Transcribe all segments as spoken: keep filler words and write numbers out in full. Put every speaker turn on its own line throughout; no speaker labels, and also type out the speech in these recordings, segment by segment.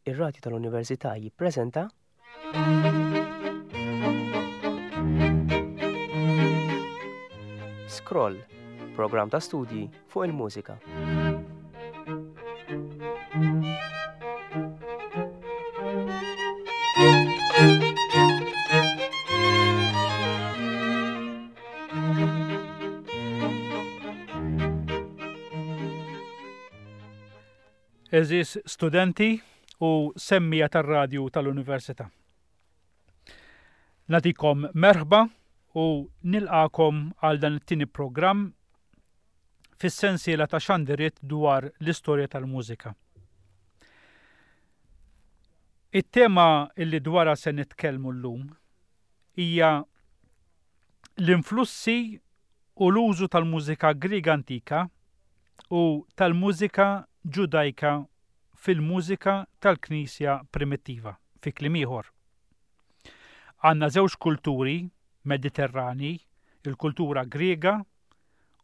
Ir-Radju tal-Università jippreżenta Scroll, programm ta' studji fuq il-mużika.
Eżis studenti u semmija tar-radju tal-Università. Natikom merħba u nilqakom għal dan it-tieni programm fis-sensiela ta' xandiriet dwar l-istorja tal-mużika. It-tema illi dwarha se nitkellmu llum hija l-influssi u l-użu tal-mużika Griega antika u tal-mużika Ġudajka fil-mużika tal-Knisja primittiva, fi kliem ieħor. Għandna żewġ kulturi Mediterrani, il-kultura Griega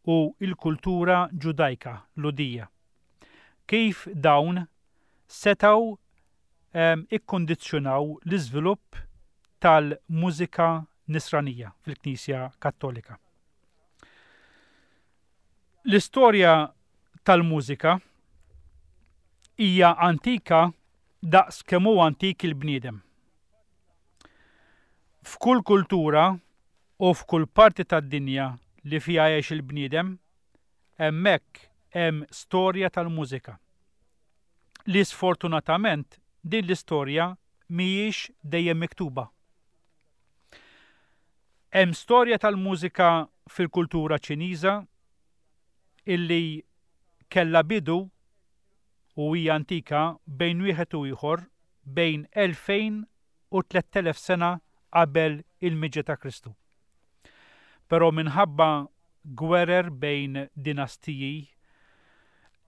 u il-kultura Ġudajka, Lhudija. Kif dawn setgħu ehm, ikkondizzjonaw l-iżvilupp tal-mużika nisranija fil-Knisja Kattolika. L-istorja tal-mużika hija antika daqs kemm hu antik il-bniedem. F'kull kultura u f'kull parti tad-dinja li fiha jgħix il-bniedem, hemmhekk hemm storja tal-mużika. Li sfortunatament din l-istorja mhijiex dejjem miktuba. Hemm storja tal-mużika fil-kultura Ċiniża illi kellha bidu u hija antika bejn wieħed u ieħor bejn elfejn u tlett elef sena qabel il-miġja ta' Kristu. Però minħabba gwerer bejn dinastiji,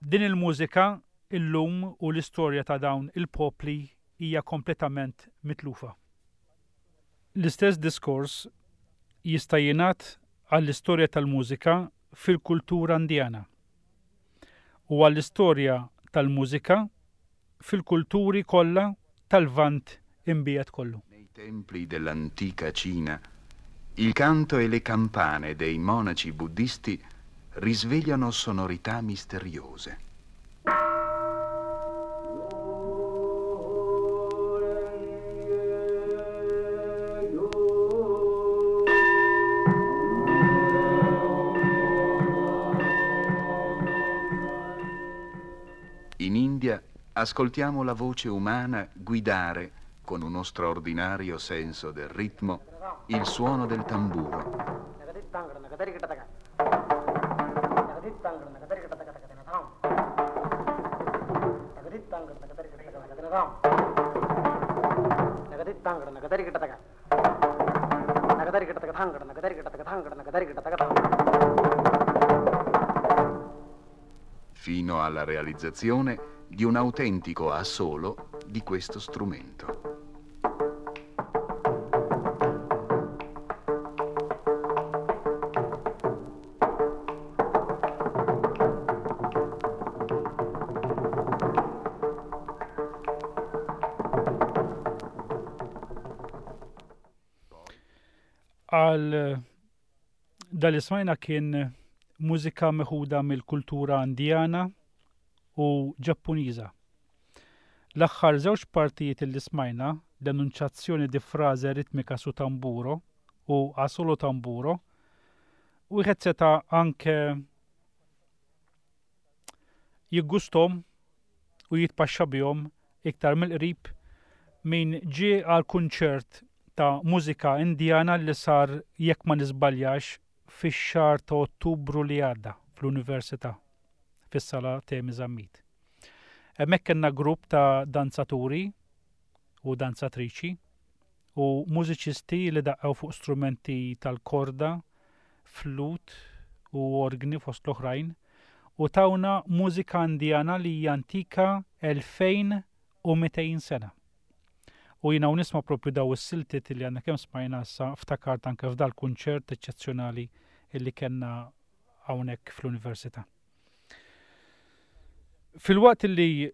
din il-mużika illum u l-istorja ta' dawn il-popli hija kompletament mitlufa. L-istess diskors jista' jingħad għall-istorja tal-mużika fil-kultura Indjana u għall-istorja tal-mużika fil-kulturi kollha tal-Lvant imbiegħed kollu.
Nei templi dell'antica Cina, il canto e le campane dei monaci buddisti risvegliano sonorità misteriose. In India ascoltiamo la voce umana guidare, con uno straordinario senso del ritmo, il suono del tamburo. Fino alla realizzazione di un autentico assolo di questo strumento.
Għal dal smajna kien mużika meħuda mill-kultura Indjana u Ġappuniża. L-aħħar żewġ partijiet li smajna, l-enunċazzjoni di frase ritmika su tamburo u a solo tamburo, wieħed seta' anke jiggustom u jitpaxxa bihom iktar mill-qrib min ġie għal kunċert ta' mużika Indjana li sar, jekk ma nisbaljax, fix-xahar ta' Ottubru li għadda fl-Università, fis-sala Temi Zammit. Hemmhekk kellna grupp ta' danzaturi u danzatriċi u mużiċisti li daqqew fuq strumenti tal-korda, flut u orgni fost l-oħrajn, u tawna mużika Indjana li hija antika elfejn u mitejn sena. U jiena u nisma' propju daw is-siltiet li għandna kemm smajna issa ftakart anke f'dal kunċert eċċezzjonali illi kellna hawnhekk fl-Università. Fil-waqt li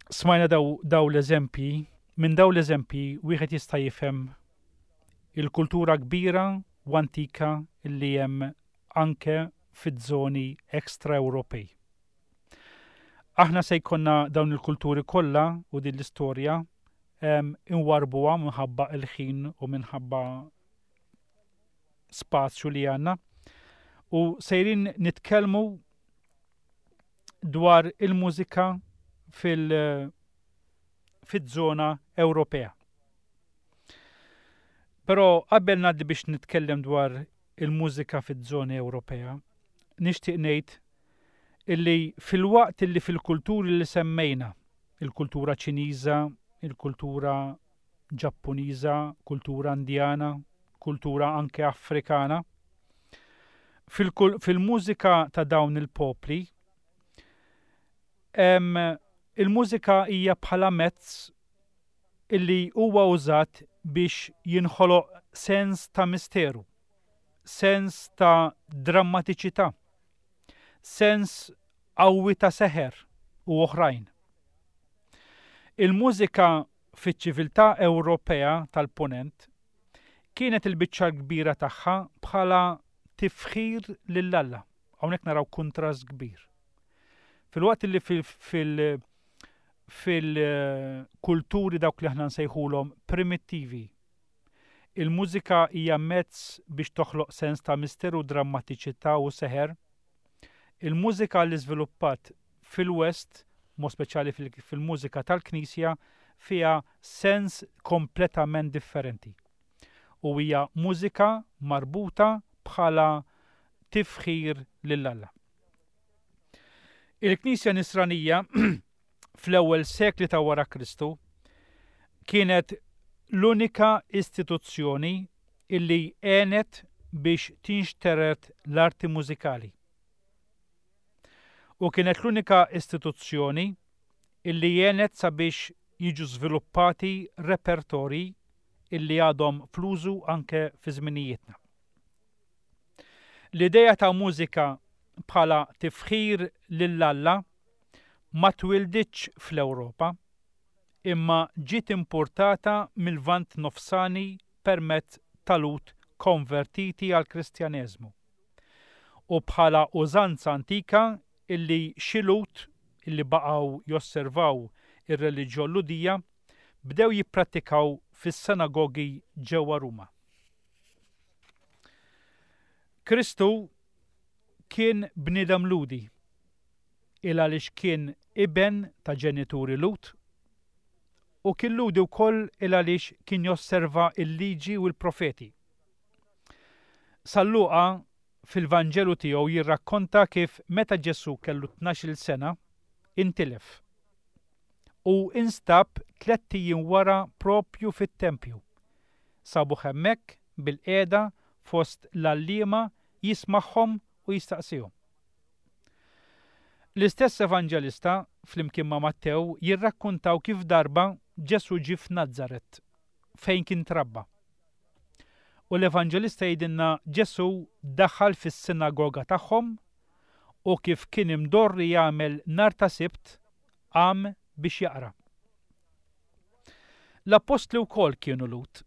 Smajna daw, daw l-eżempji, minn daw l-eżempji wieħed jista' jifhem il-kultura kbira u antika li hemm anke fiż-żoni ekstra Ewropej. Aħna se jkollna dawn il-kulturi kollha u din l-istorja inwarbuha minħabba il-ħin u minħabba spazju li għandna u sejrin nitkellmu dwar il-mużika fil- fiż-żona Ewropea. Però qabel ngħaddi biex nitkellem dwar il-mużika fiż-żona Ewropea, nixtieq ngħid illi filwaqt illi fil-kulturi li semmejna, il-kultura Ċiniża, il-kultura Ġappuniża, kultura Indjana, kultura anke Afrikana, fil-mużika ta' dawn il-popli, il-mużika hija bħala mezz illi huwa użat biex jinħoloq sens ta' misteru, sens ta' drammatiċità, sens qawwi ta' seħer u oħrajn. Il-mużika fiċ-ċiviltà Ewropea tal-Punent kienet il-biċċa kbira tagħha bħala tifħir lil Alla. Hawnhekk naraw kuntrast kbir. Filwaqt li fil- fil-kulturi dawk li aħna nsejħulhom primittivi, il-mużika hija mezz biex toħloq sens ta' misteru, drammatiċità u seħer. Il-mużika li żviluppat fil-West, mod speċjali fil-mużika tal-Knisja, fiha sens kompletament differenti. U hija mużika marbuta bħala tifħir lil Alla. Il-Knisja Nisranija fl-ewwel sekli ta' wara Kristu kienet l-unika istituzzjoni illi għenet biex tinxtered l-arti mużikali. U kienet l-unika istituzzjoni illi għenet sabiex jiġu żviluppati repertori illi għadhom fl-użu anke fi żminijietna. L-ideja ta' mużika bħala tifħir lil Alla ma twilditx fl-Ewropa, imma ġiet importata mill-Lvant Nofsani permezz ta' Lhud konvertiti għal Kristjaneżmu. U bħala użanza antika illi xi Lhud illi baqgħu josservaw ir-reliġjon Lhudija bdew jipprattikaw fis-sinagogi ġewwa Ruma. Kristu kien bniedem Lhudi, il għaliex kien iben ta' ġenituri Lhud, u kien Lhudi wkoll il għaliex kien josserva il-liġi u l-profeti. San Luqa fil-Vanġelu tiegħu jirrakkonta kif meta Ġesu kellu tnax-il sena intilef u instab tlett ijiem wara propju fit-tempju. Sabu hemmhekk bil-qiegħda fost l-għalliema jismagħhom u jistaqsihom. L-istess evanġelista flimkien ma' Mattew jirrakkontaw kif darba Ġesu ġie f'Nazaret fejn kien trabba. U l-evanġelista jgħidilna Ġesu daħal fis-sinagoga tagħhom u kif kien imdorri jagħmel nhar ta' Sibt qam biex jaqra. L-appostli wkoll kienu Lhud.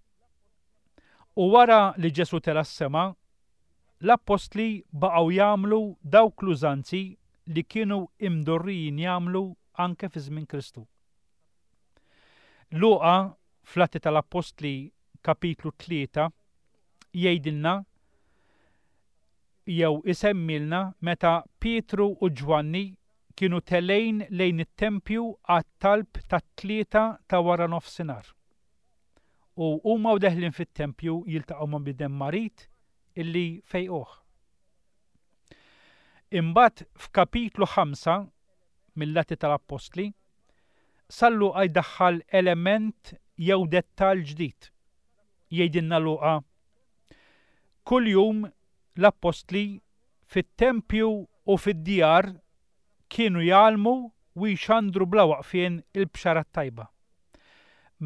U wara li Ġesu tela' s-sema, l-appostli baqgħu jagħmlu dawk l-użanzi li kienu imdorrijin jagħmlu anke fi żmien Kristu. Luqa fl-Atti tal-Appostli kapitlu tlieta jgħidilna jew isemmilna meta Pietru u Ġwanni kienu telgħin lejn it-tempju għat-talb tat-tlieta ta' wara nofsinhar. U huma u deħlin fit-tempju jiltaqgħu ma' bniedem marid illi fejquh. Imbagħad f'kapitlu ħamsa mill-Atti tal-Appostli, San Luqa jdaħħal element jew dettall ġdid. Jgħidilna Luqa, kuljum l-appostli fit-tempju u fid-djar kienu jgħallmu u jxandru bla waqfien il-bxara tajba.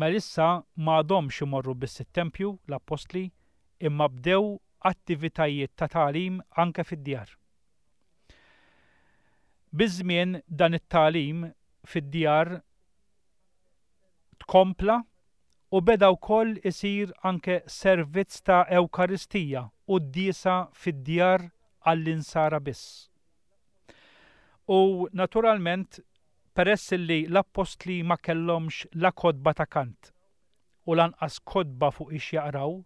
Ma issa m'għadhomx imorru biss it-tempju l-appostli imma bdew attivitajiet ta' tagħlim anke fid-djar. Biż-żmien dan it-tagħlim fid-djar tkompla u beda wkoll isir anke servizz ta' Ewkaristija u d-diesa fid-djar għall-insara biss. U naturalment, peress li l-appostli ma kellhomx la kotba ta' kant u lanqas kotba fuq ix jaqraw,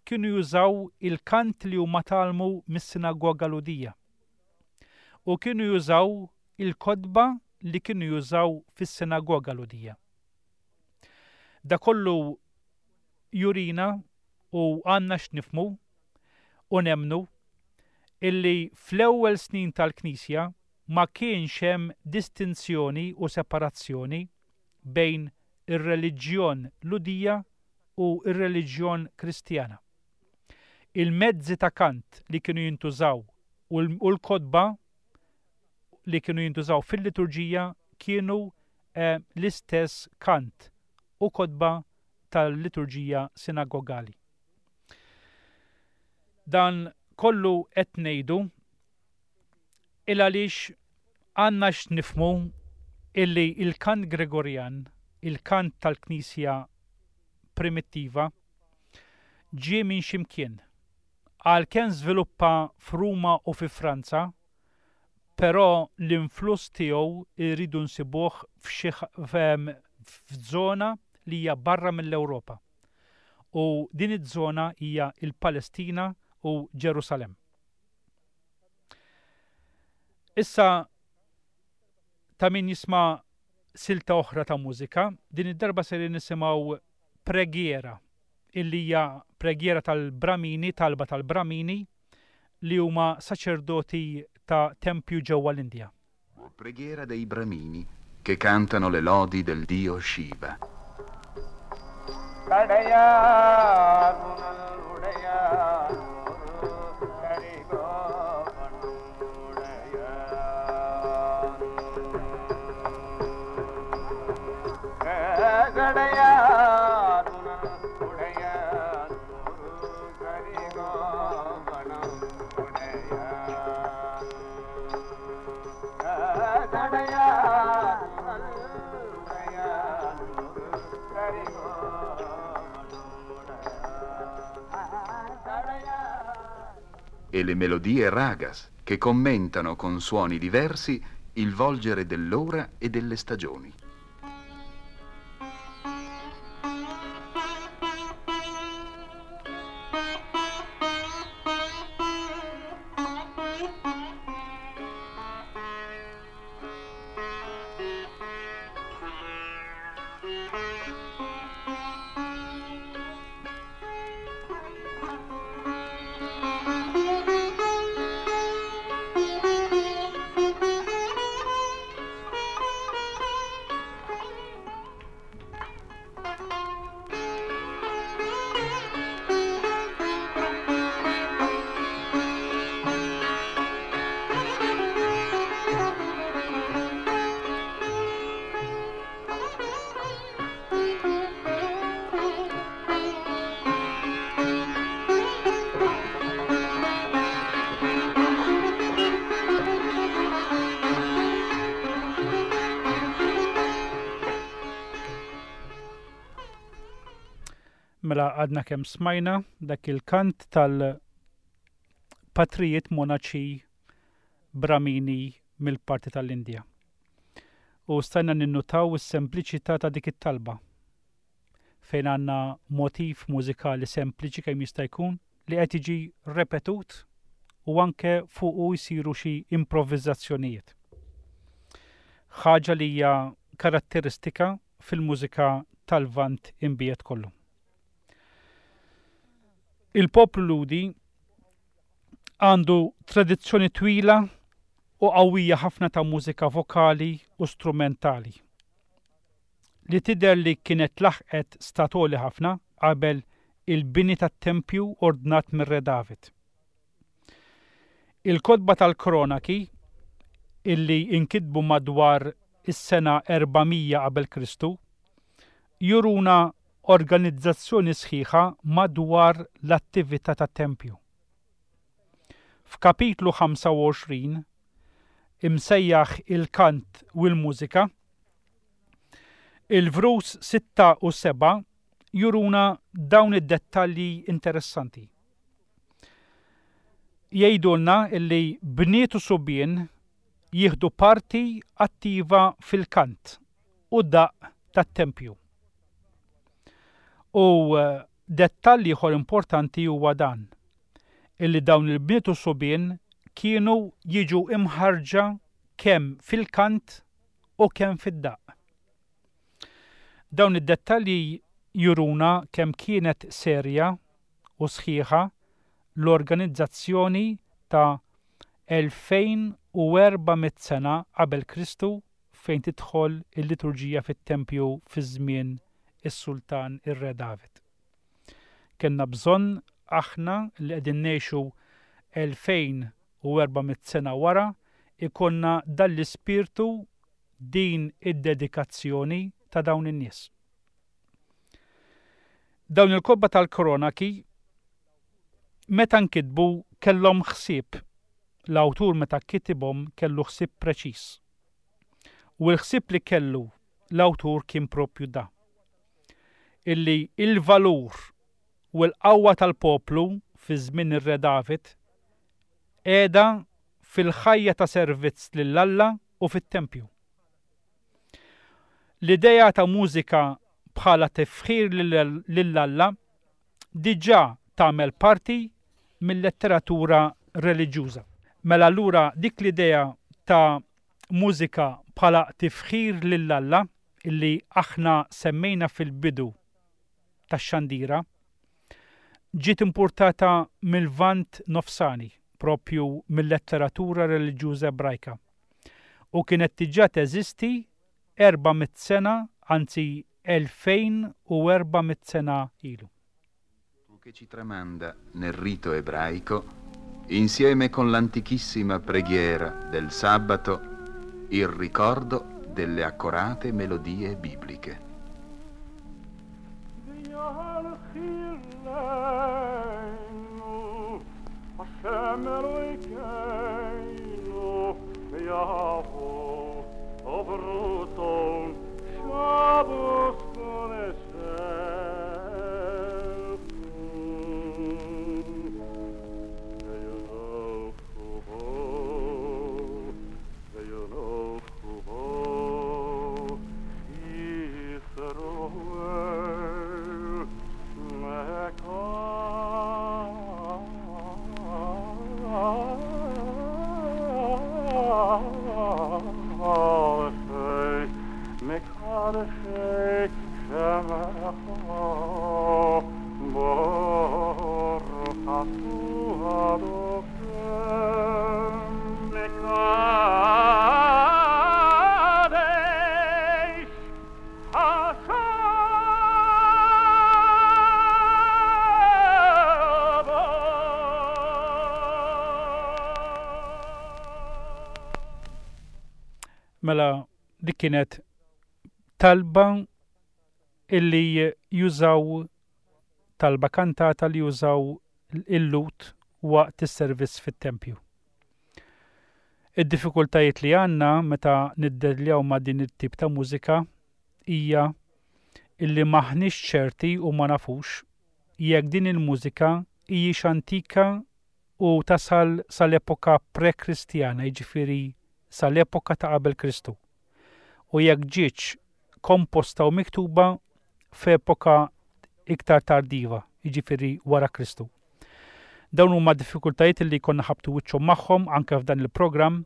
kienu jużaw il-kant li huma tgħallmu mis-sinagoga Lhudija. U kienu jużaw il-kotba li kienu jużaw fis-sinagoga Lhudija. Da kollu jurina u għandna x'nifhmu u nemnu illi fl-ewwel snin tal-Knisja ma kienx hemm distinzjoni u separazzjoni bejn ir-reliġjon Lhudija u ir-reliġjon Kristjana. Il-mezzi ta' kant li kienu jintużaw u l-kotba li kienu jintużaw fil-liturġija kienu eh, l-istess kant u kotba tal-liturġija sinagogali. Dan kollu qed ngħidu il għaliex għandna x'nifhmu illi il-kant Gregorjan, il-kant tal-Knisja primittiva, ġie minn ximkien. Għalkemm żviluppa f'Ruma u fi Franza, però l-influss tiegħu irridu nsibuh f'żona li hija barra mill-Ewropa. U din iż-żona hija il-Palestina u Ġerusalemm. Issa ta' min jisma' silta oħra ta' mużika, din id-darba ser nisimgħu preghiera, illi hija preghiera tal-Bramini, talba tal-Bramini, li huma saċerdoti ta' tempju ġewwa l-Indja.
Preghiera dei Bramini che cantano le lodi del dio Shiva. E le melodie ragas che commentano con suoni diversi il volgere dell'ora e delle stagioni.
Mela għadna kemm smajna dak il-kant tal-patrijiet monaċi Bramini mill-parti tal-Indja. U stajna ninnutaw is-sempliċità ta' dik it-talba fejn għandna motiv mużikali sempliċi kemm jista' jkun li qed jiġi repetut u anke fuqu jsiru xi improvviżazzjonijiet. Ħaġa li hija karatteristika fil-mużika tal-Lvant imbiet kollu. Il-poplu Lhudi għandu tradizzjoni twila u qawwija ħafna ta' mużika vokali u strumentali li tidher li kienet laħqet statoli ħafna qabel il-bini tat-tempju ordnat mir-Re David. Il-kotba tal-Kronaki illi inkitbu madwar is-sena erba' mija qabel Kristu juruna organizzazzjoni sħiħa madwar l-attività tat-tempju. F'kapitlu ħamsa u għoxrin, imsejjaħ il-kant u l-mużika, Il-vrus sitta u seba' juruna dawn id-dettalji interessanti. Jgħidulna illi bniet u subien jieħdu parti attiva fil-kant u daqq tat-tempju. U dettall ieħor importanti huwa dan, illi dawn il-bniet u subien kienu jiġu imħarġa kemm fil-kant u kemm fid-daqq. Dawn id-dettalji juruna kemm kienet serja u sħiħa l-organizzazzjoni ta' elfejn u erba' mitt sena qabel Kristu fejn tidħol il-liturġija fit-tempju fi żmien is-Sultan ir-Re David. Kellna bżonn aħna li qegħdin ngħixu elfejn u erba' mitt sena wara ikonna dan l-ispirtu, din id-dedikazzjoni ta' dawn in-nies. Dawn il-kotba tal-Kronaki meta nkitbu kellhom ħsieb. L-awtur meta kitibhom kellu ħsieb preċiż. U l-ħsieb li kellu l-awtur kien propju da. Illi il-valur u l-qawwa tal-poplu fi żmien ir-Re David qiegħda fil-ħajja ta' servizz lil Alla u fit-tempju. L-idea ta' mużika bħala tifħir lil Alla diġà tagħmel parti mill-letteratura reliġjuża. Mela allura dik l-idea ta' mużika bħala tifħir lil Alla illi aħna semmejna fil-bidu tax-xandira ġiet importata mill-Lvant Nofsani, propju mill-letteratura reliġjuża Ebrajka, u kienet diġà teżisti erba' mitt sena, anzi elfejn u erba' mitt sena ilu.
Che ci tramanda nel rito ebraico, insieme con l'antichissima preghiera del sabato, il ricordo delle accorate melodie bibliche.
Mela dik kienet talba illi jużaw, talba kantata li jużaw il-Lhud waqt is-servizz fit-tempju. Id-diffikultajiet li għandna meta niddeljaw ma' din it-tip ta' mużika hija illi maħniex ċerti u ma nafux jekk din il-mużika hijiex antika u tasal sal-epoka pre-Kristjana, jiġifieri sal-epoka ta' qabel Kristu, u jekk ġietx komposta u miktuba f'epoka iktar tardiva, jiġifieri wara Kristu. Dawn huma diffikultajiet li konna ħabtu wiċċhom magħhom anke f'dan il-programm,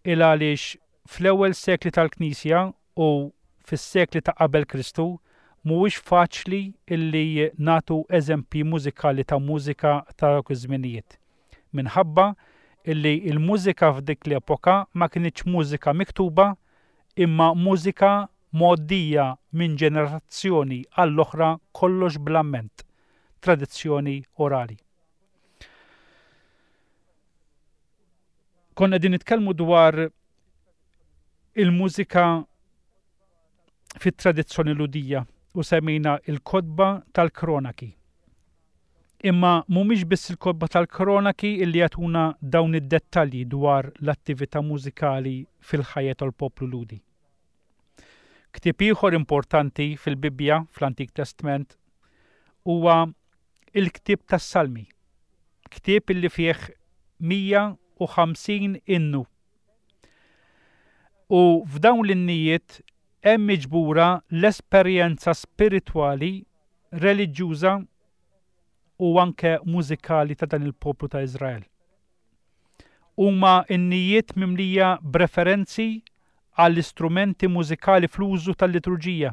il għaliex fl-ewwel sekli tal-Knisja u fis-sekli ta' qabel Kristu mhuwiex faċli illi nagħtu eżempji mużikali ta' mużika ta' dawk iż-żminijiet. Minħabba illi il-mużika f'dik l-epoka ma kinitx mużika miktuba imma mużika mgħoddija minn ġenerazzjoni għall-oħra, kollox bl-amment, tradizzjoni orali. Konna qegħdin nitkellmu dwar il-mużika fit-tradizzjoni Lhudija u semmejna il-kotba tal-Kronaki. Imma mhumiex biss il-kotba tal-Kronaki illi jagħtuna dawn id-dettalji dwar l-attività mużikali fil-ħajja tal-poplu Lhudi. Ktieb ieħor importanti fil-Bibbja fl-Antik Testament huwa il-ktieb tas-Salmi. Ktieb illi fih mija u ħamsin innu. U f'dawn l-innijiet hemm miġbura l-esperjenza spiritwali, reliġjuża u anke mużikali ta' dan il-poplu ta' Iżrael. Huma innijiet mimlija b'referenzi għall-istrumenti mużikali fl-użu tal-liturġija,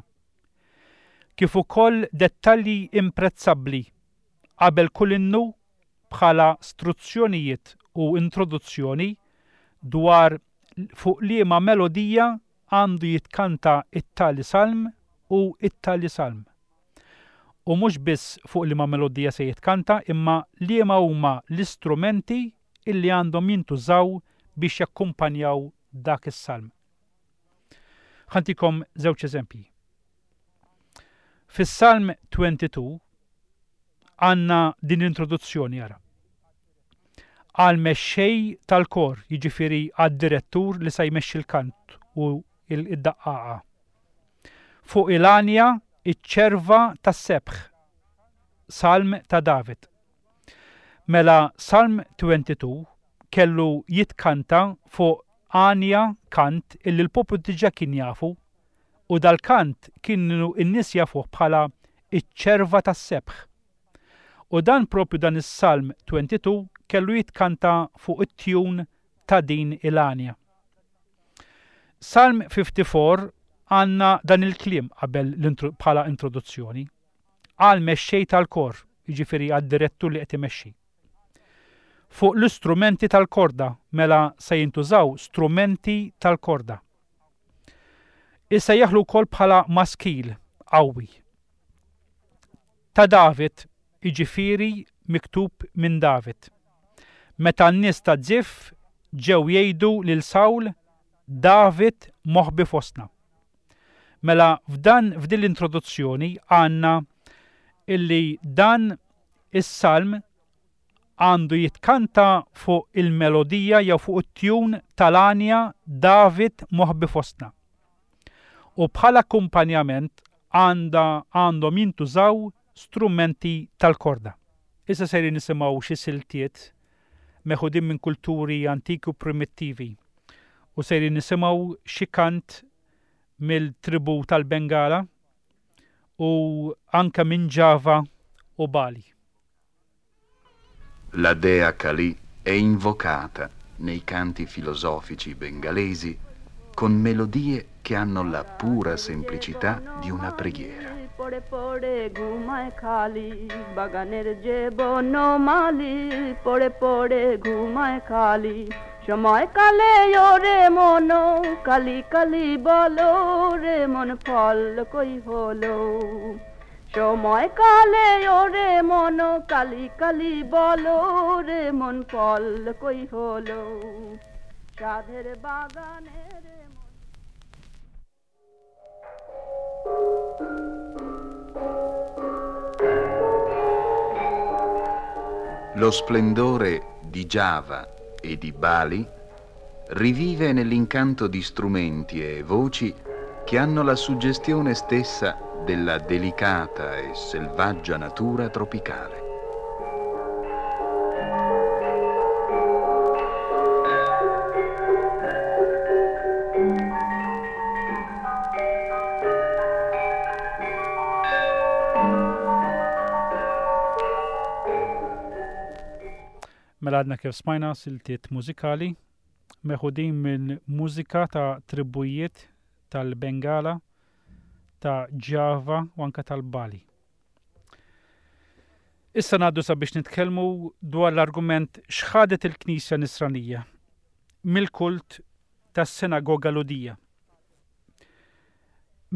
kif ukoll dettalji imprezzabbli qabel kull innu bħala struzzjonijiet u introduzzjoni dwar fuq liema melodija għandu jitkanta it-tali salm u it-tali salm. U mhux biss fuq liema melodija se jitkanta, imma liema huma l-istrumenti illi għandhom jintużaw biex jakkumpanjaw dak is-salm. Ħantikom żewġ eżempji. Fis-Salm twenty-two għandna din l-introduzzjoni ara. Għal mexxej tal-kor, jiġifieri għad-direttur li se jmexxi l-kant u il-daqqaqa. Fuq il-għanja iċ-ċerva tas-sebħ, Salm ta' David. Mela Salm twenty-two kellu jitkanta fuq għanja kant illi l-poplu diġà kien jafu, u dal-kant kienu n-nies jafuh bħala iċ-ċerva tas-sebħ. U dan propju dan is-Salm twenty-two kellu jitkanta fuq it-tjun ta' din il-għanja. Salm fifty-four għandna dan il-kliem qabel l-intro-, bħala introduzzjoni. Għal mexxej tal-kor, jiġifieri għad-direttur li qed imexxi. Fuq l-istrumenti tal-korda, mela se jintużaw strumenti tal-korda. Issa jaħlu wkoll bħala maskil qawwi. Ta' David, jiġifieri miktub minn David. Meta n-nies ta' Zif ġew jgħidu lil Sawl, David moħbi fostna. Mela f'dan, f'din l-introduzzjoni għandna illi dan is-salm għandu jitkanta fuq il-melodija jew fuq it-tjun tal-għanja David moħbi fostna. U bħala akkumpanjament għanda, għandhom jintużaw strumenti tal-korda. Issa sejrin nisimgħu xi siltiet meħudin minn kulturi antiki u primittivi u sejrin nisimgħu xi kant mill-tribu tal-Bengala u anke minn Java u Bali.
La dea Kali è invocata nei canti filosofici bengalesi con melodie che hanno la pura semplicità di una preghiera.
পড়ে পড়ে ঘুমায় খালি বাগানের যে বনমালী, পড়ে পড়ে ঘুমায় খালি, সময় কালে ওরে মন কালি কালি বলো রে মন ফল কই হলো, সময় কালে ওরে মন কালি কালি বলো রে মন ফল কই হলো, সাধের বাগানে রে মন।
Lo splendore di Java e di Bali rivive nell'incanto di strumenti e voci che hanno la suggestione stessa della delicata e selvaggia natura tropicale.
Mela għadna kif smajna siltiet mużikali meħudin minn mużika ta' tribujiet tal-Bengala, ta' Java u anka tal-Bali. Issa ngħaddu sabiex nitkellmu dwar l-argument x'ħadet il-Knisja Nisranija mill-kult tas-sinagoga Lhudija.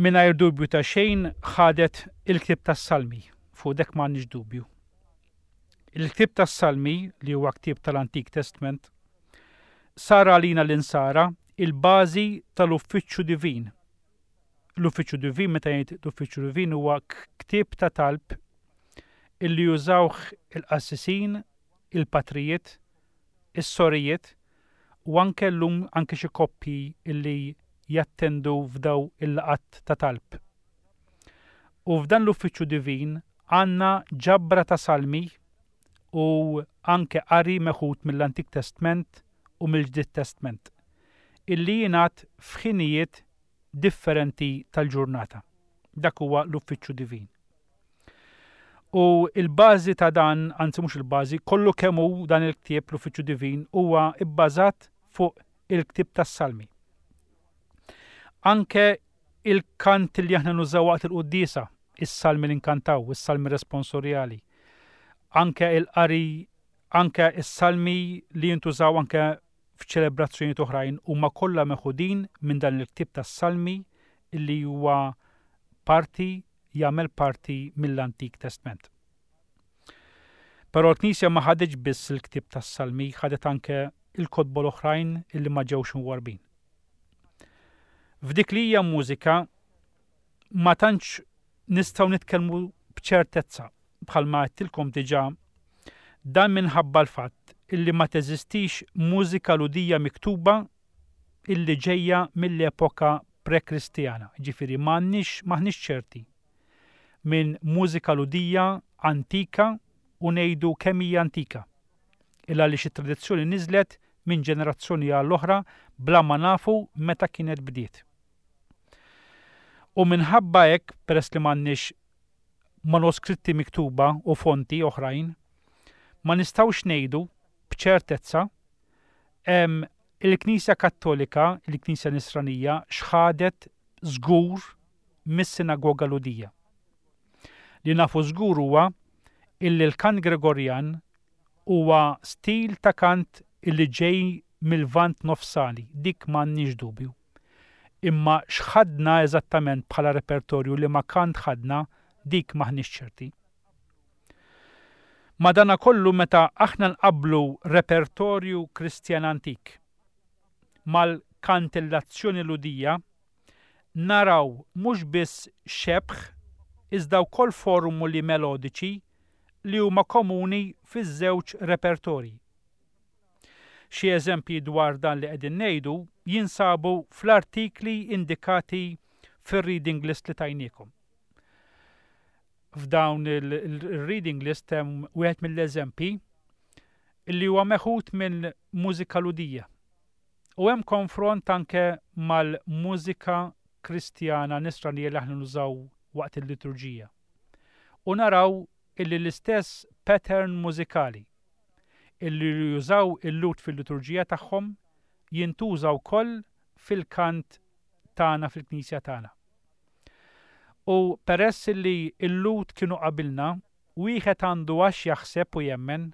Mingħajr dubju ta' xejn ħadet il-ktieb tas-Salmi, fuq dek m'għandniex dubju. Il-ktieb tas-Salmi, li huwa ktieb tal-Antik Testament, sar għalina l-insara il-bażi tal-uffiċċju divin. L-uffiċċju divin, meta jgħid l-uffiċċju divin, huwa ktieb ta' talb illi jużawh il-qassisin, il-patrijiet, is-sorijiet u anke llum anke xi koppji illi jattendu f'daw il-laqgħat ta' talb. U f'dan l-uffiċċju divin għandna ġabra ta' salmi u anke qari meħud mill-Antik Testment u mill-Ġdid Testment illi jingħad f'ħinijiet differenti tal-ġurnata. Dak huwa l-uffiċċju divin. U il-bażi ta' dan, anzi mhux il-bażi, kollu kemm hu dan il-ktieb l-Uffiċċju Divin huwa bbażat fuq il-ktieb tas-Salmi. Anke il-kant li aħna nużaw waqt il-quddiesa, is-salmi li nkantaw, is-salmi responsorjali. Anke il-qari, anke is-salmi li jintużaw anke f'ċelebrazzjonijiet oħrajn huma kollha meħudin minn dan il-ktieb tas-Salmi illi huwa parti jagħmel parti mill-Antik Testment. Però l-Knisja ma ħaditx biss il-ktieb tas-Salmi, ħadet anke il-kotba l-oħrajn illi ma ġewx imwarrbin. F'dik li hija mużika ma tantx nistgħu nitkellmu b'ċertezza bħalma għedtilkom diġà, dan minħabba l-fatt illi ma teżistix mużika Lhudija miktuba illi ġejja mill-epoka pre-Kristjana, ġifieri m'għandniex m'aħniex ċerti minn mużika Lhudija antika u ngħidu kemm hija antika. Illa għaliex it-tradizzjoni niżlet minn ġenerazzjoni għall oħra bla ma nafu meta kienet bdiet. U minħabba hekk, peress li m'għandniex manuskritti miktuba u fonti oħrajn, ma nistgħux ngħidu b'ċertezza il-Knisja Kattolika, il-Knisja Nisranija, x'ħadet żgur mis-sinagoga Lhudija. Li nafu żgur huwa illi l-kant Gregorjan huwa stil ta' kant illi ġej mill-Lvant Nofsani, dik m'għandniex dubju. Imma x'ħadna eżattament bħala repertorju li ma kant ħadna, dik m'aħniex ċerti. Madanakollu meta aħna nqablu repertorju Kristjan antik mal-kantillazzjoni Lhudija, naraw mhux biss xebh iżda wkoll formuli melodiċi li huma komuni fiż-żewġ repertorji. Xi eżempji dwar dan li qegħdin ngħidu jinsabu fl-artikli indikati fir-reading list li tajniekom. F'dawn il-reading list hemm wieħed mill-eżempji li huwa meħud minn mużika Lhudija. U hemm konfront anke mal-mużika Kristjana Nisranija li aħna nużaw waqt il-liturġija. U naraw illi l-istess pattern mużikali illi jużaw il-Lhud fil-liturġija tagħhom jintuża wkoll fil-kant tagħna fil-knisja tagħna. U peress illi l-Lhud kienu qabilna, wieħed għandu għax jaħseb u jemmen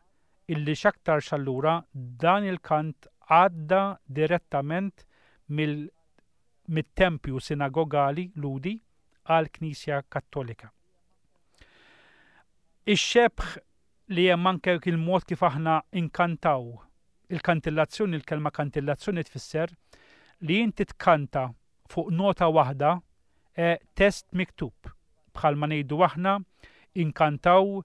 illi x'aktarx allura dan il-kant għadda direttament mill-tempju sinagogali Lhudi għal Knisja Kattolika. Ix-xebh li hemm anke il-mod kif aħna inkantaw il-kantillazzjoni, il-kelma kantillazzjoni tfisser li inti tkanta fuq nota waħda e, test miktub. Bħalma ngħidu aħna inkantaw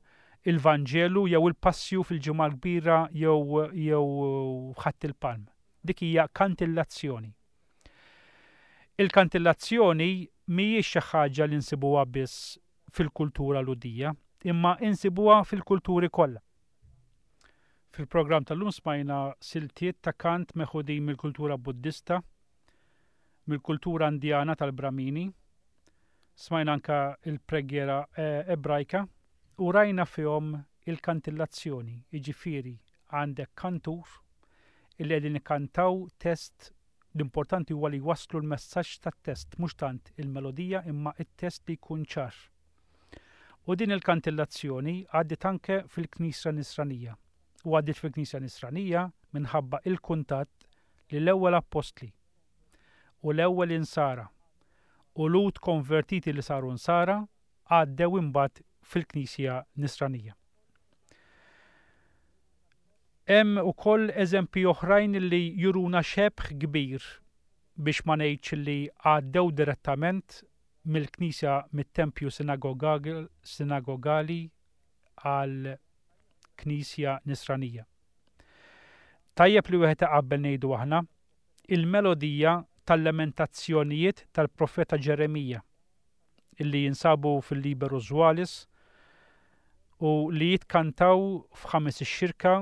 il-Vanġelu jew il-Passju fil-Ġimgħa l-Kbira jew jew Ħadd il-Palm. Dik hija kantillazzjoni. Il-kantillazzjoni mhijiex xi ħaġa li nsibuha biss fil-kultura Lhudija, imma insibuha fil-kulturi kollha. Fil-programm tal-lum smajna siltiet ta' kant meħudin mill-kultura Buddista, mill-kultura Indjana tal-Bramini, smajna anka il-preghiera Ebrajka u rajna fihom il-kantillazzjoni, jiġifieri għandek kantur illi qegħdin ikkantaw test. L-importanti huwa li waslu l-messaġġ tat-test, mhux tant il-melodija imma it-test li jkun ċar. U din il-kantillazzjoni għaddiet anke fil-Knisja Nisranija. U għaddiet fil-Knisja Nisranija minħabba il-kuntatt li l-ewwel appostli u l-ewwel insara u Lhud konvertiti li saru nsara għaddew imbagħad fil-Knisja Nisranija. Hemm ukoll eżempji oħrajn li juruna xebh kbir biex ma ngħidx li għaddew direttament mill-Knisja mit-tempju sinagogali għal Knisja Nisranija. Tajjeb li wieħed iqabbel ngħidu aħna il-melodija tal-lamentazzjonijiet tal-profeta Ġeremija illi jinsabu fil-Liber Usualis u li jitkantaw f'Ħames ix-Xirka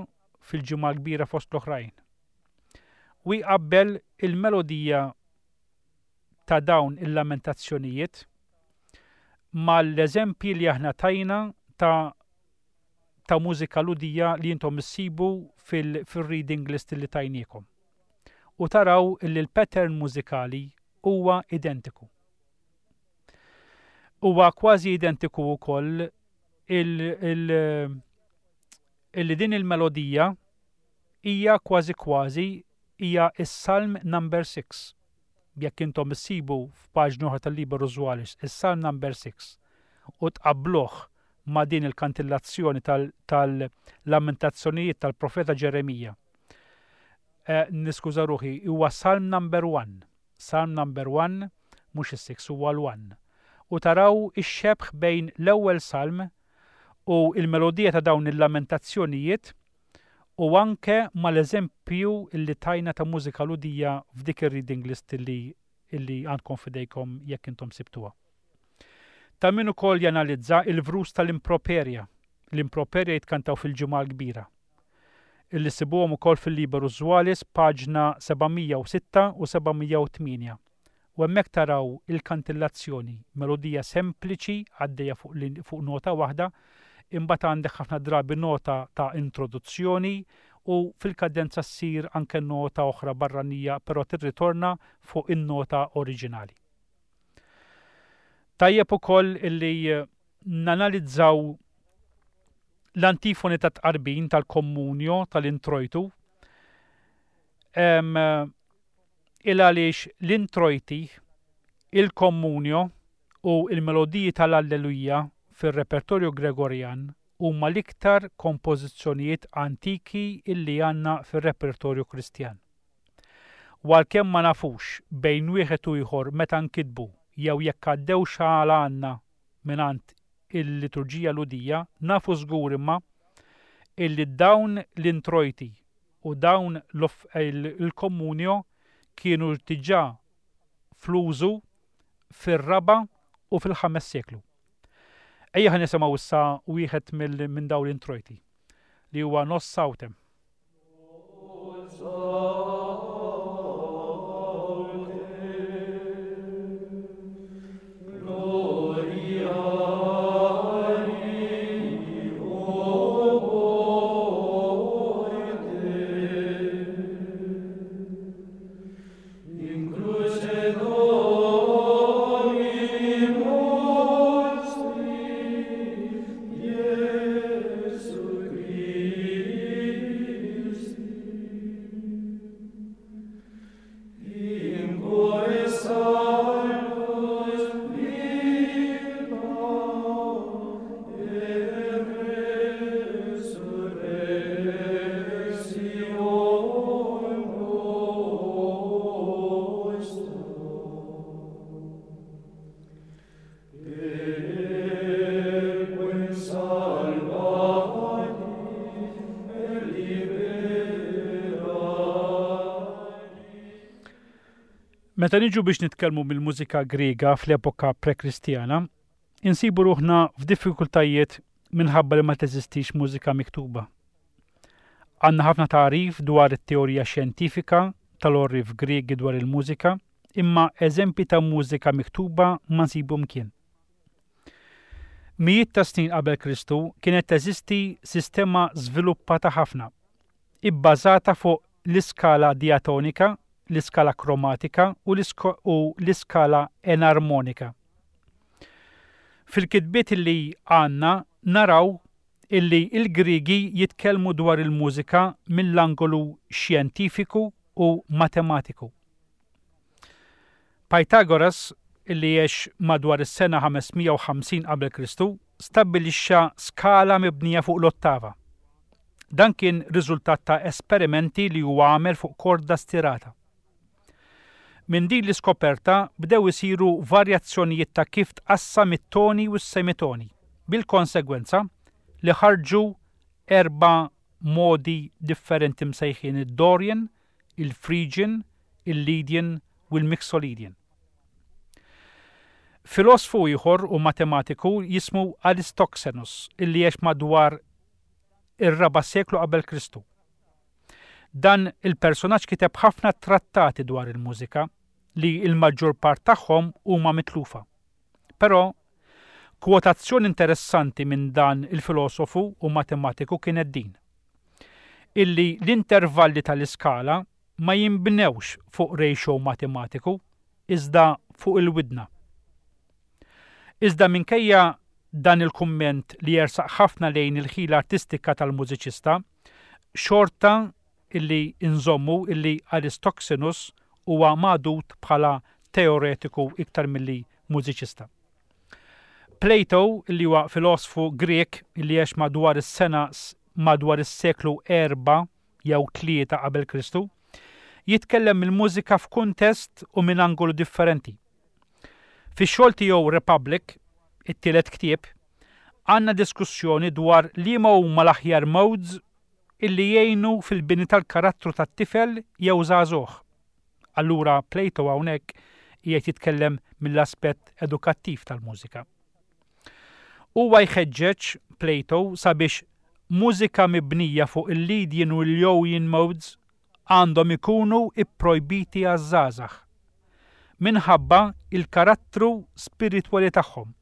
fil-Ġimgħa l-Kbira fost l-oħrajn. U jqabbel il-melodija ta' dawn il-lamentazzjonijiet mal-eżempji li aħna tajna ta' ta' mużika Lhudija li intom issibu fil-reading list li tajniekom. U taraw illi l-pattern mużikali huwa identiku. Huwa kważi identiku wkoll illi din il-melodija hija kważi kważi hija is-Salm number six. Jekk intom issibu f'paġna oħra tal-Liber Usualis is-Salm number six u tqabbluh ma' din il-kantillazzjoni tal-lamentazzjonijiet tal-profeta Ġeremija. Eh, niskuża ruħi, huwa Salm number one. Salm number one, mhux is-six, huwa l-one. U taraw ix-xebh bejn l-ewwel salm u il-melodija ta' dawn il-lamentazzjonijiet u anke mal-eżempju illi tajna ta' mużika Lhudija f'dik ir-reading list illi, illi għandkom f'idejkom jekk intom sibtuha. Ta' min ukoll janalizza il-vrus tal-improperja. L-improperja jitkantaw fil-Ġimgħa l-Kbira. Illi sibuhom ukoll fil-Liber Usualis paġna seba' mija u sitta u seba' mija u tmienja. U hemmhekk taraw il-kantillazzjoni, melodija sempliċi għaddejja fuq lin-, fuq nota waħda, imbagħad għandek ħafna drabi nota ta' introduzzjoni u fil-kadenza ssir anke nota oħra barranija, però tirritorna fuq in-nota oriġinali. Tajjeb ukoll illi nanalizzaw l-antifoni ta' tqarbin tal-komunjo tal-introjtu. Em, il għaliex l-introjti, il-komunjo u il-melodiji tal-Alleluja fir-repertorju Gregorjan huma l-iktar kompożizzjonijiet antiki illi għandna fir-repertorju Kristjan. U għalkemm ma nafux bejn wieħed u ieħor meta nkitbu jew jekk għaddew xagħal għandna mingħand il-liturġija Lhudija, nafu żgur imma illi dawn l-introjti u dawn l-off-, il-, il-komunjo kienu diġà fl-użu fir-raba' u fil-ħames seklu. Ejja ħa nisimgħu issa wieħed mill-, minn dawn l-introjti li huwa Nos Autem. Meta niġu biex nitkellmu mill-mużika Griega fl-epoka pre-Kristjana, insibu ruħna f'diffikultajiet minħabba li ma teżistix mużika miktuba. Għandna ħafna tagħrif dwar it-teorija xjentifika tal-orrif Griegi dwar il-mużika, imma eżempji ta' mużika miktuba ma nsibu mkien. Mijiet ta' snin qabel Kristu kienet teżisti sistema żviluppata ħafna, ibbażata fuq l-iskala diatonika, l-iskala kromatika u l-isko-, u l-iskala enarmonika. Fil-kitbiet li għandna naraw illi il-Griegi jitkellmu dwar il-mużika mill-angolu xjentifiku u matematiku. Pythagoras, illi għex madwar is-sena ħames mija u ħamsin qabel Kristu, stabbilixxa skala mibnija fuq l-ottava. Dan kien riżultat ta' esperimenti li huwa għamel fuq korda stirata. Minn din l-iskoperta bdew isiru varjazzjonijiet ta' kif tqassam it-toni u s-semitoni, bil-konsegwenza li ħarġu erba' modi differenti msejħin id-Dorian, il-Phrygian, il-Lydian u u l-Mixolydian. Filosfu ieħor u matematiku jismu Aristoxenus, illi għex madwar ir-raba' seklu qabel Kristu. Dan il-personaġġ kiteb ħafna trattati dwar il-mużika li l-maġġor part tagħhom huma mitlufa. Però kwotazzjoni interessanti minn dan il-filosofu u matematiku kienet din: illi l-intervalli tal-iskala ma jinbnewx fuq ratio matematiku, iżda fuq il-widna. Iżda minkejja dan il-kumment li jersaq ħafna lejn il-ħila artistika tal-mużiċista, xorta illi inżommu illi Aristoxenus huwa magħdud bħala teoretiku iktar milli mużiċista. Plato, illi huwa filosfu Grek illi għex madwar is-sena madwar is-seklu erba' jew tlieta qabel Kristu, jitkellem il-mużika f'kuntest u minn angolu differenti. Fix-xogħol tiegħu Republic, it-tielet ktieb, għandna diskussjoni dwar liema huma l-aħjar modes illi jgħinu fil-bini tal-karattru tat-tifel jew żagħżugħ. Allura Plato hawnhekk qiegħed jitkellem mill-aspett edukattiv tal-mużika. Huwa jħeġġeġ Plato sabiex mużika mibnija fuq il-Lydian u l-Ionian modes għandhom ikunu ipprojbiti għaż-żgħażagħ minħabba il-karattru spiritwali tagħhom.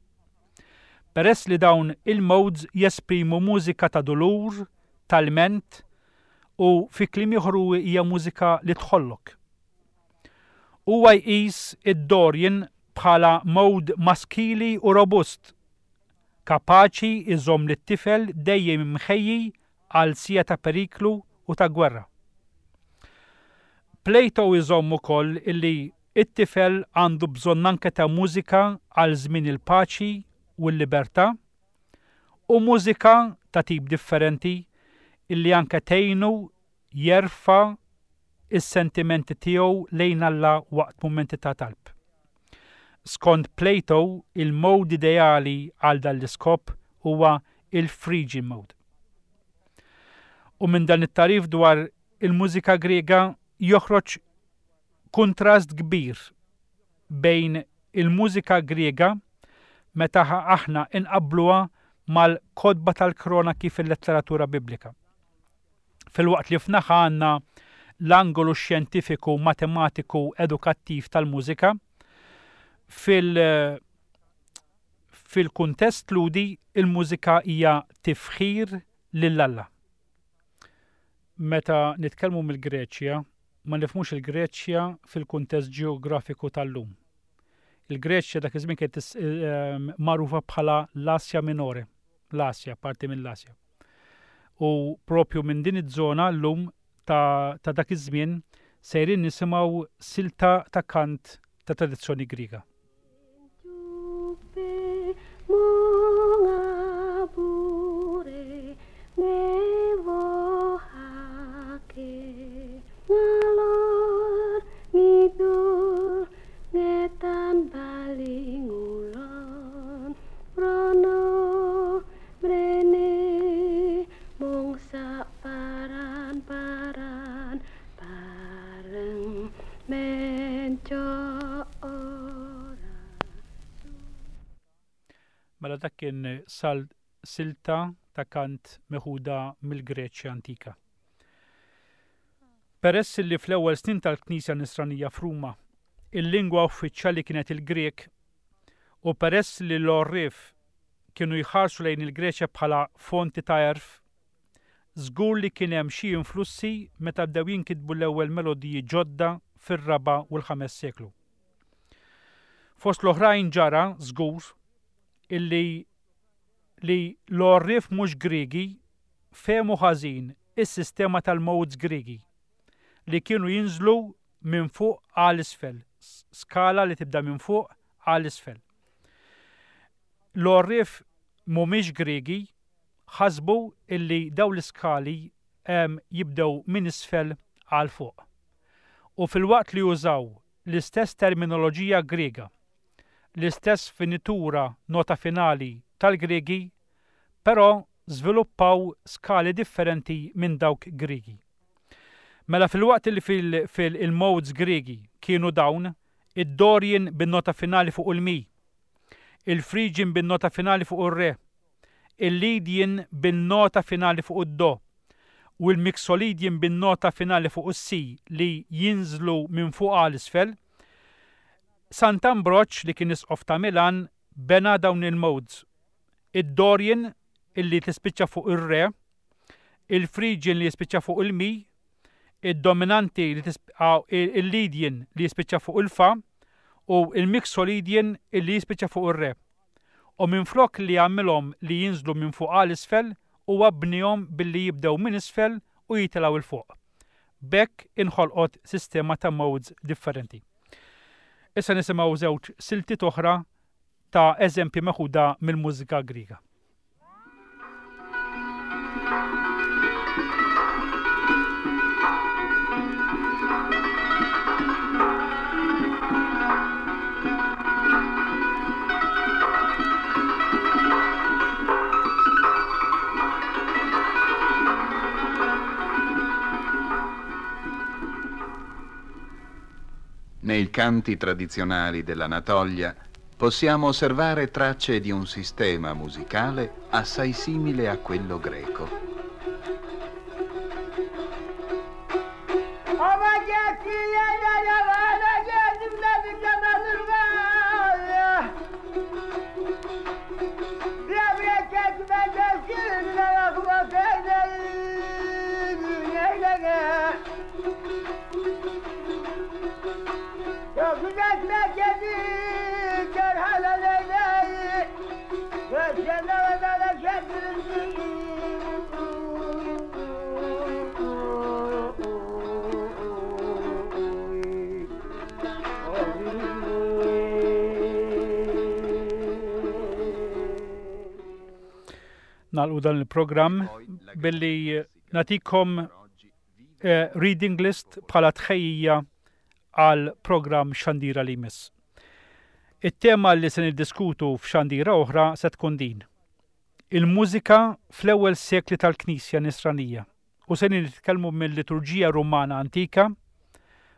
Peress li dawn il-modes jesprimu mużika ta' dulur, tal-ment u fi kliem ieħor hija mużika li tħollok. Huwa jqis id-Dorian bħala mode maskili u robust, kapaċi iżomm lit-tifel dejjem imħejji għal sija ta' periklu u ta' gwerra. Plato iżomm ukoll illi it-tifel għandu bżonn anke ta' mużika għal żmien il-paċi u l-libertà u mużika ta' tip differenti illi anke tgħinu jerfa' is-sentimenti tiegħu lejn Alla waqt mumenti ta' talb. Skont Plato, il-mode ideali għal dan l-iskop huwa il-Phrygian mode. U minn dan it-tarif dwar il-mużika Griega joħroġ kontrast kbir bejn il-mużika Griega meta aħna inqabbluha mal-kotba tal-kronaki fil-letteratura biblika. Filwaqt li f'naħa għandna l-angolu xjentifiku, matematiku, edukattiv tal-mużika, fil- fil-kuntest ludi il-mużika hija tifħir lil Alla. Meta nitkellmu mill-Greċja, ma nifhmux il-Greċja fil-kuntest ġeografiku tal-lum. Il-Greċja dak iż-żmien kienet magħrufa bħala l-Asja Minore, l-Asja, parti mill-Asja. U propju minn din iż-żona llum ta', ta' dak iż-żmien sejrin nisimgħu silta ta' kant ta' tradizzjoni Griega. Mela dak kien sal silta ta' kant meħuda mill-Greċja antika. Peress li fl-ewwel snin tal-Knisja Nisranija f'Ruma il-lingwa uffiċjali kienet il-Grek u peress li l-għorrief kienu jħarsu lejn il-Greċja bħala fonti ta' għerf, żgur li kien hemm xi influssi meta bdew jinkitbu l-ewwel melodiji ġodda fir-raba' u l-ħames seklu. Fost l-oħrajn ġara żgur illi li l-għorrief mhux Griegi fehmu ħażin is-sistema tal-modes Griegi li kienu jinżlu minn fuq għal isfel, skala li tibda minn fuq għal isfel. L-għorrief mhumiex Griegi ħasbu illi daw l-iskali jibdew minn isfel għal fuq. U fil-waqt li użaw l-istess terminoloġija Griega, l-istess finitura nota finali tal-Griegi, però żviluppaw skali differenti minn dawk Griegi. Mela fil-waqt li fil-modes Griegi kienu dawn, id-Dorian bin-nota finali fuq il-Mi, il-Phrygian bin-nota finali fuq ir-Re, il-Lydian bin-nota finali fuq id-Do u l-Mixolydian bin-nota finali fuq is-Si li jinżlu minn fuq għal isfel. Sant'Ambroġ li kien isqof ta' Milan bena dawn il-modes. Id-Dorian illi tispiċċa fuq ir-Re, il-Phrygian li jispiċċa fuq il-Mi, id-dominanti li il-Lydian li jispiċċa fuq il-Fa u il-Mixolydian illi jispiċċa fuq ir-Re. U minflok li għamilhom li jinżlu minn fuq għal isfel u bnihom billi jibdew minn isfel u jitilgħu 'l fuq. B'hekk inħolqot sistema ta' modes differenti. Issa nisimgħu żewġ siltiet oħra ta' eżempji meħuda mill-mużika Griega.
Nei canti tradizionali dell'Anatolia possiamo osservare tracce di un sistema musicale assai simile a quello greco.
Nagħlqu dan il-programm billi nagħtikom eh, reading list bħala tħejjija għal programm Xandira li jmiss. It-tema li se niddiskutu f'xandira oħra se tkun din. Il-mużika fl-ewwel sekli tal-Knisja Nisranija u se nitkellmu mill-liturġija Rumana antika,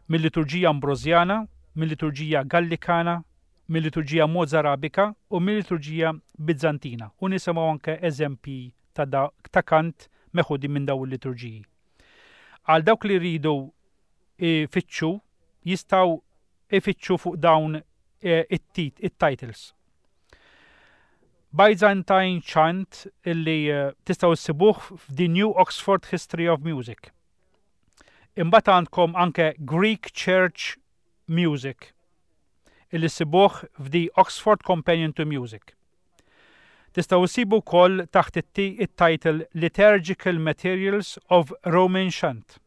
mill-liturġija Ambrosjana, mill-liturġija Gallikana, mill-liturġija Mozarabika u mill-liturġija Bizantina u nisimgħu anke eżempji ta', da, ta' kant meħudi minn dawn il-liturġiji. Għal dawk li rridu ifittxu jistgħu ifittxu fuq dawn it-tit, it-titles. Byzantine Chant illi tistgħu issibuh f'The New Oxford History of Music. Imbagħad għandkom anke Greek Church Music illi ssibuh f'The Oxford Companion to Music. Tistgħu issibu wkoll taħt it-title Liturgical Materials of Roman Chant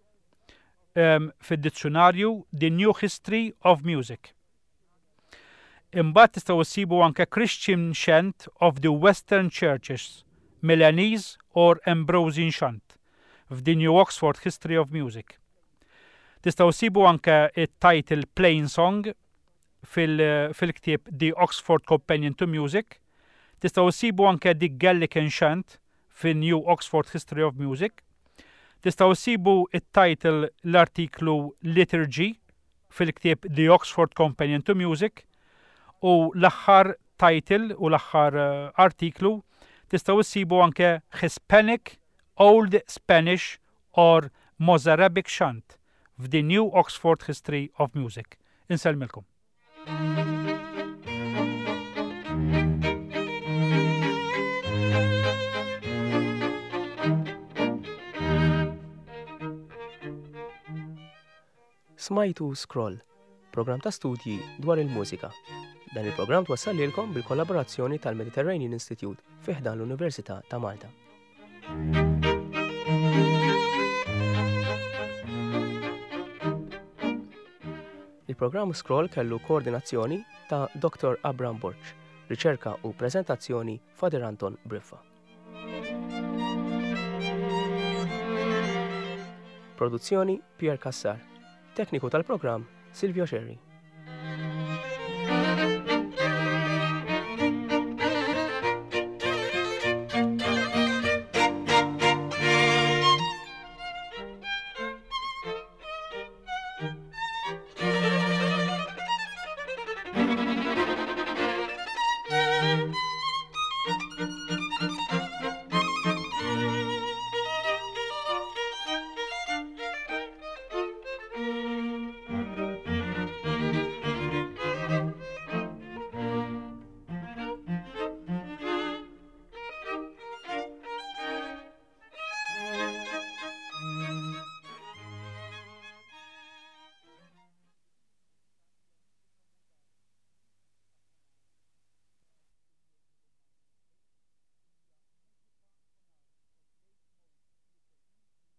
um, fid-dizzjonarju The New History of Music. Imbagħad tistgħu issibu anke Christian Chant of the Western Churches, Milanese or Ambrosian Chant f'The New Oxford History of Music. Tistgħu issibu anke it-title Plain Song fil-ktieb The Oxford Companion to Music. Tistgħu issibu anke The Gallican Chant fil-New Oxford History of Music. Tistgħu issibu it-title l-artiklu Liturgy fil-ktieb The Oxford Companion to Music u l-aħħar title u l-aħħar artiklu tistgħu issibu anke Hispanic, Old Spanish or Mozarabic Chant f'The New Oxford History of Music. Insellmilkom.
Smajtu Scroll, program ta' studji dwar il-mużika. Dan il-programm twassal lilkom bil-kollaborazzjoni tal-Mediterranean Institute fi ħdan l-Università ta' Malta. Il-programm Scroll kellu koordinazzjoni ta' Doktor Abram Borg, riċerka u prezentazzjoni Father Anton Briffa. Produzzjoni Pierre Cassar, tekniku tal-programm Silvio Scerri.